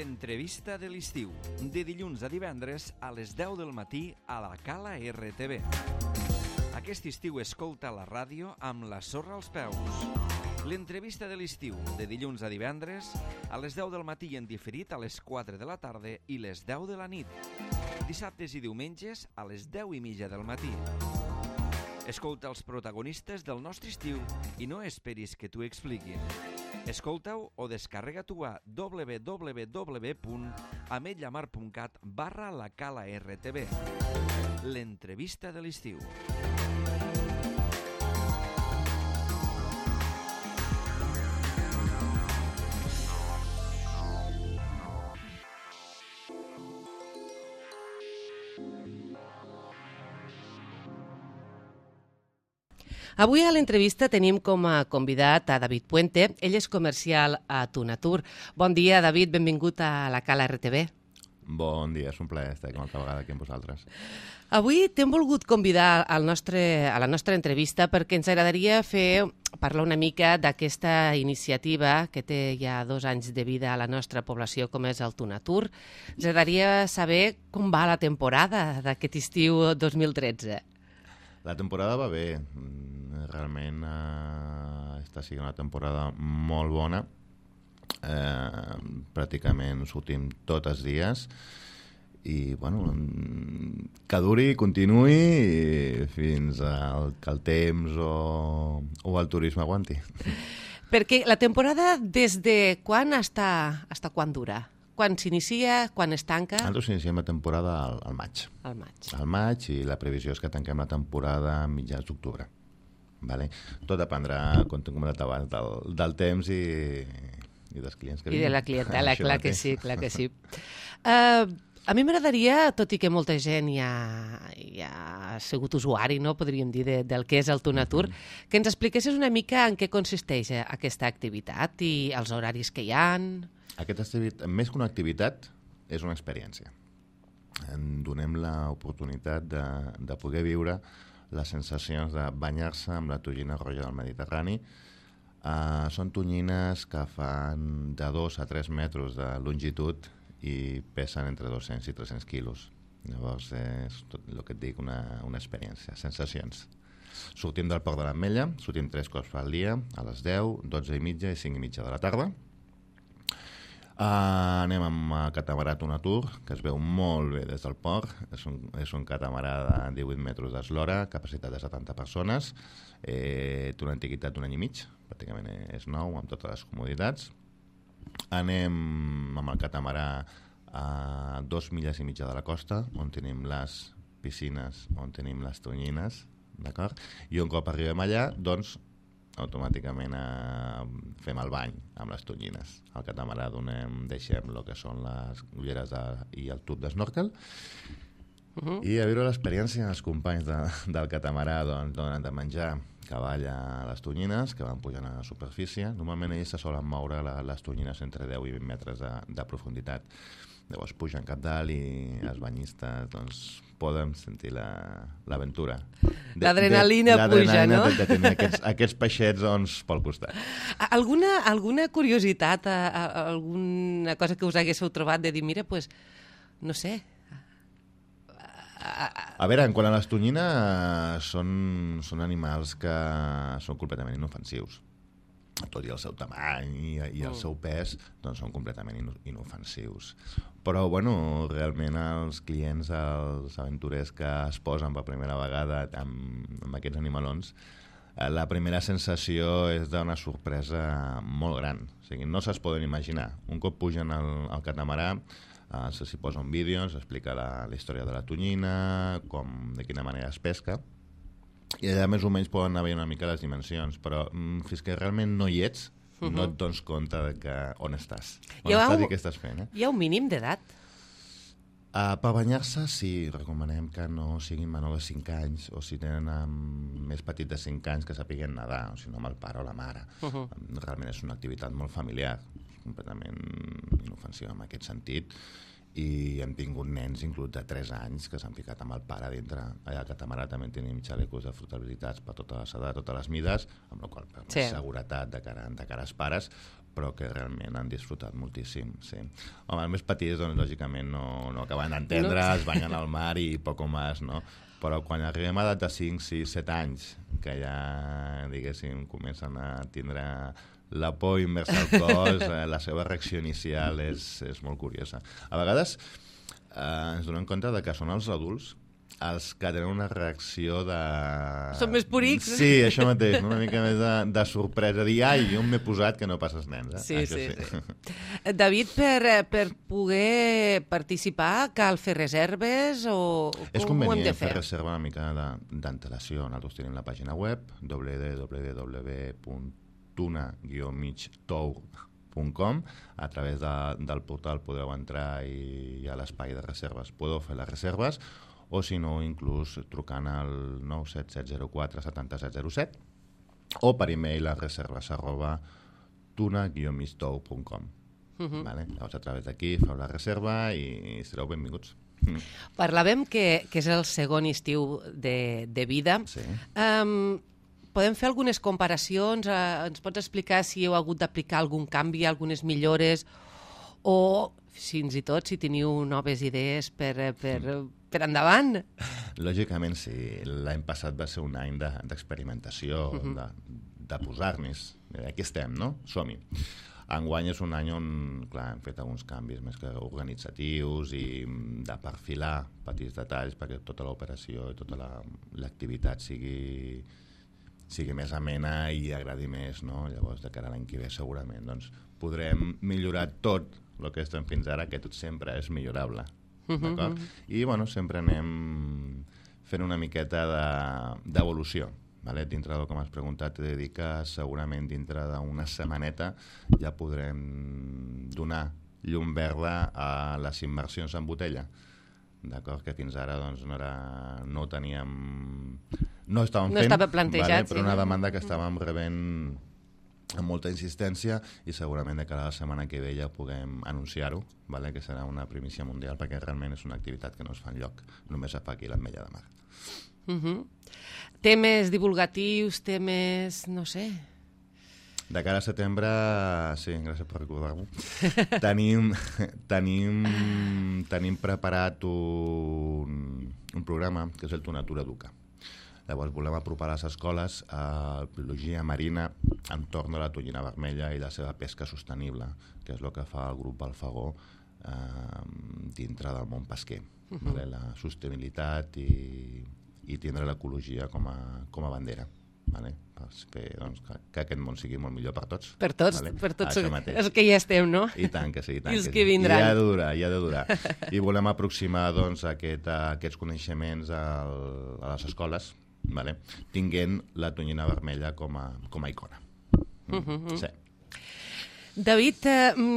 L'entrevista de l'estiu, de dilluns a divendres a les 10 del matí a la Cala RTV. Aquest estiu escolta la ràdio amb la sorra als peus. L'entrevista de l'estiu, de dilluns a divendres a les 10 del matí i en diferit a les 4 de la tarda i les 10 de la nit. Dissabtes i diumenges a les 10:30 del matí. Escolta els protagonistes del nostre estiu i no esperis que t'ho expliquin. Escolta-ho o descarrega-t'ho a www.ametlllamar.cat/la Cala RTV. L'entrevista de l'estiu. Avui a l'entrevista tenim com a convidat a David Puente. Ell és comercial a Tunatur. Bon dia, David, benvingut a la Cala RTV. Bon dia, és un plaer estar una altra vegada aquí amb vosaltres. Avui t'hem volgut convidar a la nostra entrevista perquè ens agradaria parlar una mica d'aquesta iniciativa que té ja 2 anys de vida a la nostra població, com és el Tunatur. Ens agradaria saber com va la temporada d'aquest estiu 2013. La temporada va bé. Realment està sent una temporada molt bona. Pràcticament sortim tots els dies i bueno, que duri i continuï fins que el temps o el turisme aguanti. Perquè la temporada des de quan està quan dura? Quan s'inicia, quan es tanca? Nosaltres iniciem la temporada al maig. Al maig. Al maig, i la previsió és que tanquem la temporada a mitjans d'octubre. Vale? Tot dependrà, com t'he comentat abans, del temps i dels clients que vinen. I de la clientela, clar que sí, clar que sí. A mi m'agradaria, tot i que molta gent ja ha sigut usuari, no, podríem dir, del que és el Tunatur, que ens expliquessis una mica en què consisteix aquesta activitat i els horaris que hi ha. Aquesta activitat, més que una activitat, és una experiència. Donem l'oportunitat de poder viure les sensacions de banyar-se amb la tonyina roja del Mediterrani. Són tonyines que fan de 2 a 3 metres de longitud i pesen entre 200 i 300 quilos. Llavors és tot el que et dic, una experiència, sensacions. Sortim del Port de l'Ametlla, sortim 3 cops al dia, a les 10, 12:30 i 5:30 de la tarda. Anem amb el catamarà Tunatur, que es veu molt bé des del port. És un catamarà de 18 metres d'eslora, capacitat de 70 persones, té una antiguitat d'1 any i mig, pràcticament és nou, amb totes les comoditats. Anem amb el catamarà a 2 milles i mitja de la costa, on tenim les piscines, on tenim les tonyines, d'acord? I un cop arribem allà, doncs, automàticament fem el bany amb les tonyines. Al catamarà deixem el que són les ulleres i el tub d'esnorkel i a viure l'experiència. Els companys del catamarà donen de menjar cavall a les tonyines que van pujant a la superfície. Normalment ells se solen moure les tonyines entre 10 i 20 metres de profunditat. Llavors pugen cap dalt i els banyistes poden sentir l'aventura. L'adrenalina puja, no? De tenir aquests peixets pel costat. Alguna curiositat, alguna cosa que us haguéssiu trobat de dir, mira, doncs, no sé... A veure, en quant a les tonyines, són animals que són completament inofensius. Tot i el seu tamany i el seu pes, doncs són completament inofensius. Però, bueno, realment els clients, els aventurers que es posen per primera vegada amb aquests animalons, la primera sensació és d'una sorpresa molt gran. O sigui, no se'ls poden imaginar. Un cop pugen al catamarà, s'hi posa un vídeo, s'explica la història de la tonyina, de quina manera es pesca, i allà més o menys poden anar veient una mica les dimensions, però fins que realment no hi ets, no et dones compte on estàs. On estàs i què estàs fent. Hi ha un mínim d'edat? Per banyar-se, sí, recomanem que no siguin menor de 5 anys, o si tenen més petit de 5 anys que sapiguen nedar, o si no amb el pare o la mare. Realment és una activitat molt familiar, completament inofensiva en aquest sentit, i hem tingut nens inclús de 3 anys que s'han ficat amb el pare dintre. Allà al catamarà també tenim xalecos de flotabilitats per totes les edats, totes les mides, amb la qual cosa, seguretat de cara als pares, però que realment han disfrutat moltíssim, sí. Home, els més petits, doncs, lògicament, no acaben d'entendre, es banyen al mar i poco més, no? Però quan arribem a edat de 5, 6, 7 anys, que ja, diguéssim, comencen a tindre la por immersa al cos, la seva reacció inicial és molt curiosa. A vegades ens donem compte de que són els adults els que tenen una reacció de... Són més purics. Sí, això mateix, una mica més de sorpresa, dir, ai, on m'he posat que no passes nens. Sí. David, per poder participar, cal fer reserves o com ho hem de fer? És convenient fer reserva una mica d'antelació. Nosaltres tenim la pàgina web www.tuna-migtour.com. A través del portal podeu entrar i a l'espai de reserves podeu fer les reserves, o si no, inclús trucant al 977047707 o per e-mail a reserves@tuna-migtour.com. Vale? Llavors, a través d'aquí feu la reserva i sereu benvinguts. Parlàvem que és el segon estiu de vida. Sí. Podem fer algunes comparacions? Ens pots explicar si heu hagut d'aplicar algun canvi, algunes millores, o fins i tot si teniu noves idees per endavant? Lògicament, sí. L'any passat va ser un any d'experimentació, de posar-nos. Aquí estem, no? Som-hi. Enguany és un any on, clar, hem fet alguns canvis més que organitzatius i de perfilar petits detalls perquè tota l'operació i tota l'activitat sigui més amena i agradi més, no? Llavors, de cara a l'any que ve, segurament, doncs, podrem millorar tot el que estem fins ara, que tot sempre és millorable. D'acord? I, bueno, sempre anem fent una miqueta d'evolució. Vale? Dintre del que m'has preguntat, t'he de dir que segurament dintre d'una setmaneta ja podrem donar llum verda a les immersions en botella. D'acord? Que fins ara doncs, no ho teníem... No estàvem fent, estava plantejat, però una demanda que estàvem rebent amb molta insistència i segurament de cara a la setmana que ve ja puguem anunciar-ho, vale? Que serà una primícia mundial perquè realment és una activitat que no es fa enlloc, només es fa aquí a l'Ametlla de Mar. Temes divulgatius, temes... no sé... De cara a setembre, sí, gràcies per recordar-m'ho, tenim preparat un programa que és el Tunatur Educa. Llavors volem apropar a les escoles a biologia marina entorn de la tonyina vermella i la seva pesca sostenible, que és el que fa el grup Alfagó dintre del món pesquer. Vale? La sostenibilitat i tindre l'ecologia com a bandera. Vale? Per fer doncs, que aquest món sigui molt millor per tots. Per tots, vale? per tots els que ja estem, no? I tant que sí. I els que vindran. I ha de durar. I volem aproximar doncs, aquests coneixements a les escoles, vale? Tinguent la tonyina vermella com a icona. Sí. David,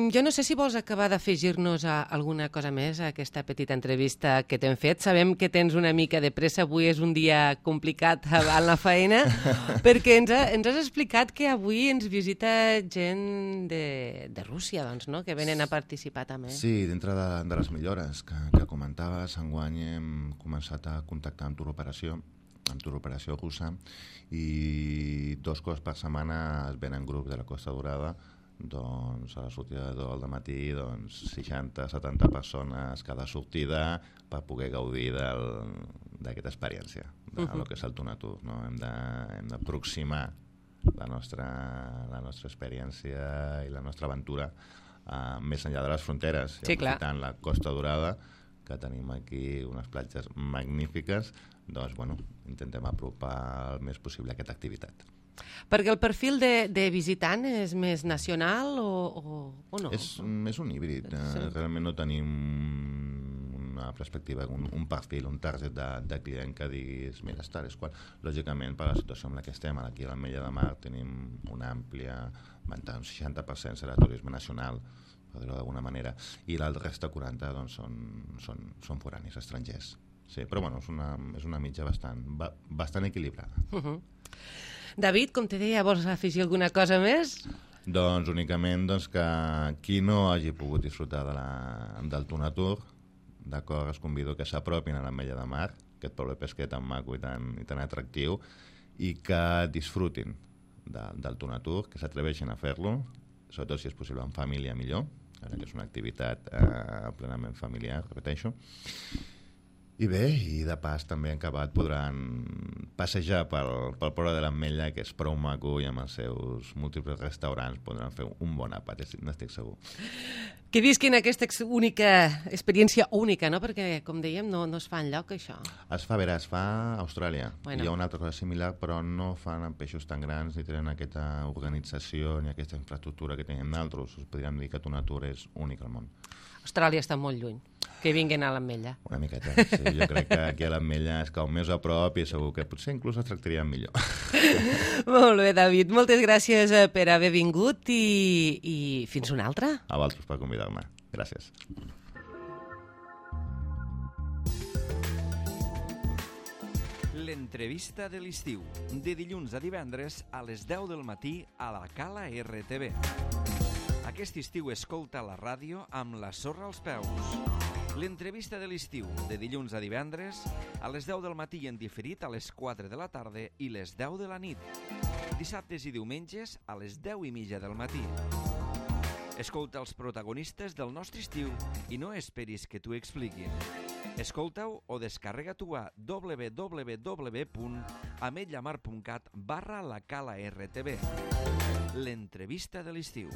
jo no sé si vols acabar d'afegir-nos alguna cosa més a aquesta petita entrevista que t'hem fet. Sabem que tens una mica de pressa, avui és un dia complicat en la feina, perquè ens has explicat que avui ens visita gent de Rússia, doncs, no? Que venen a participar també. Sí, dintre de les millores que comentaves, enguany hem començat a contactar amb Turoperació russa, i 2 cops per setmana es venen grups de la Costa Dorada, doncs a la sortida de 2 del matí, doncs 60-70 persones cada sortida per poder gaudir d'aquesta experiència, del que és el Tunatur, no? Hem d'aproximar la nostra experiència i la nostra aventura més enllà de les fronteres, sí, aprofitant la Costa Dorada, que tenim aquí unes platges magnífiques, doncs, bueno, intentem apropar el més possible aquesta activitat. Perquè el perfil de visitant és més nacional o no? És un híbrid. Sí. Realment no tenim una perspectiva, un perfil, un target de client que diguis, mira, és qual. Lògicament, per la situació en la que estem, aquí a l'Ametlla de Mar tenim una àmplia ventana, un 60% serà turisme nacional, per dir-ho d'alguna manera, i el resta 40 doncs, són foranis, estrangers. Sí, però bueno, és una mitja bastant equilibrada. David, com te deia, vols afegir alguna cosa més? Doncs únicament que qui no hagi pogut disfrutar del Tunatur, d'acord, es convido que s'apropin a l'Ametlla de Mar, aquest poble pesquer tan maco i tan atractiu, i que disfrutin del Tunatur, que s'atreveixin a fer-lo sobretot si és possible en família millor, que és una activitat plenament familiar, repeteixo. I bé, i de pas també en acabat podran passejar pel poble de l'Ametlla, que és prou maco, i amb els seus múltiples restaurants podran fer un bon àpat, n'estic segur. Que visquin aquesta experiència única, no? Perquè, com dèiem, no es fa enlloc, això. Es fa a Austràlia. Bueno. Hi ha una altra cosa similar, però no fan amb peixos tan grans, ni tenen aquesta organització, ni aquesta infraestructura que tenen d'altres. Us podríem dir que Tuna Tour és únic al món. Austràlia està molt lluny. Que vinguin a l'Ametlla. Una miqueta, sí. Jo crec que aquí a l'Ametlla és com més a prop i segur que potser inclús es tractarien millor. Molt bé, David. Moltes gràcies per haver vingut i fins una altra. A vosaltres per convidar-me. Gràcies. L'entrevista de l'estiu, de dilluns a divendres a les 10 del matí a la Cala RTV. Aquest estiu escolta la ràdio amb la sorra als peus. L'entrevista de l'estiu, de dilluns a divendres, a les 10 del matí i en diferit a les 4 de la tarda i les 10 de la nit. Dissabtes i diumenges a les 10:30 del matí. Escolta els protagonistes del nostre estiu i no esperis que t'ho expliquin. Escolta-ho o descarrega-t'ho a www.ametlamar.cat/la Cala RTV. L'entrevista de l'estiu.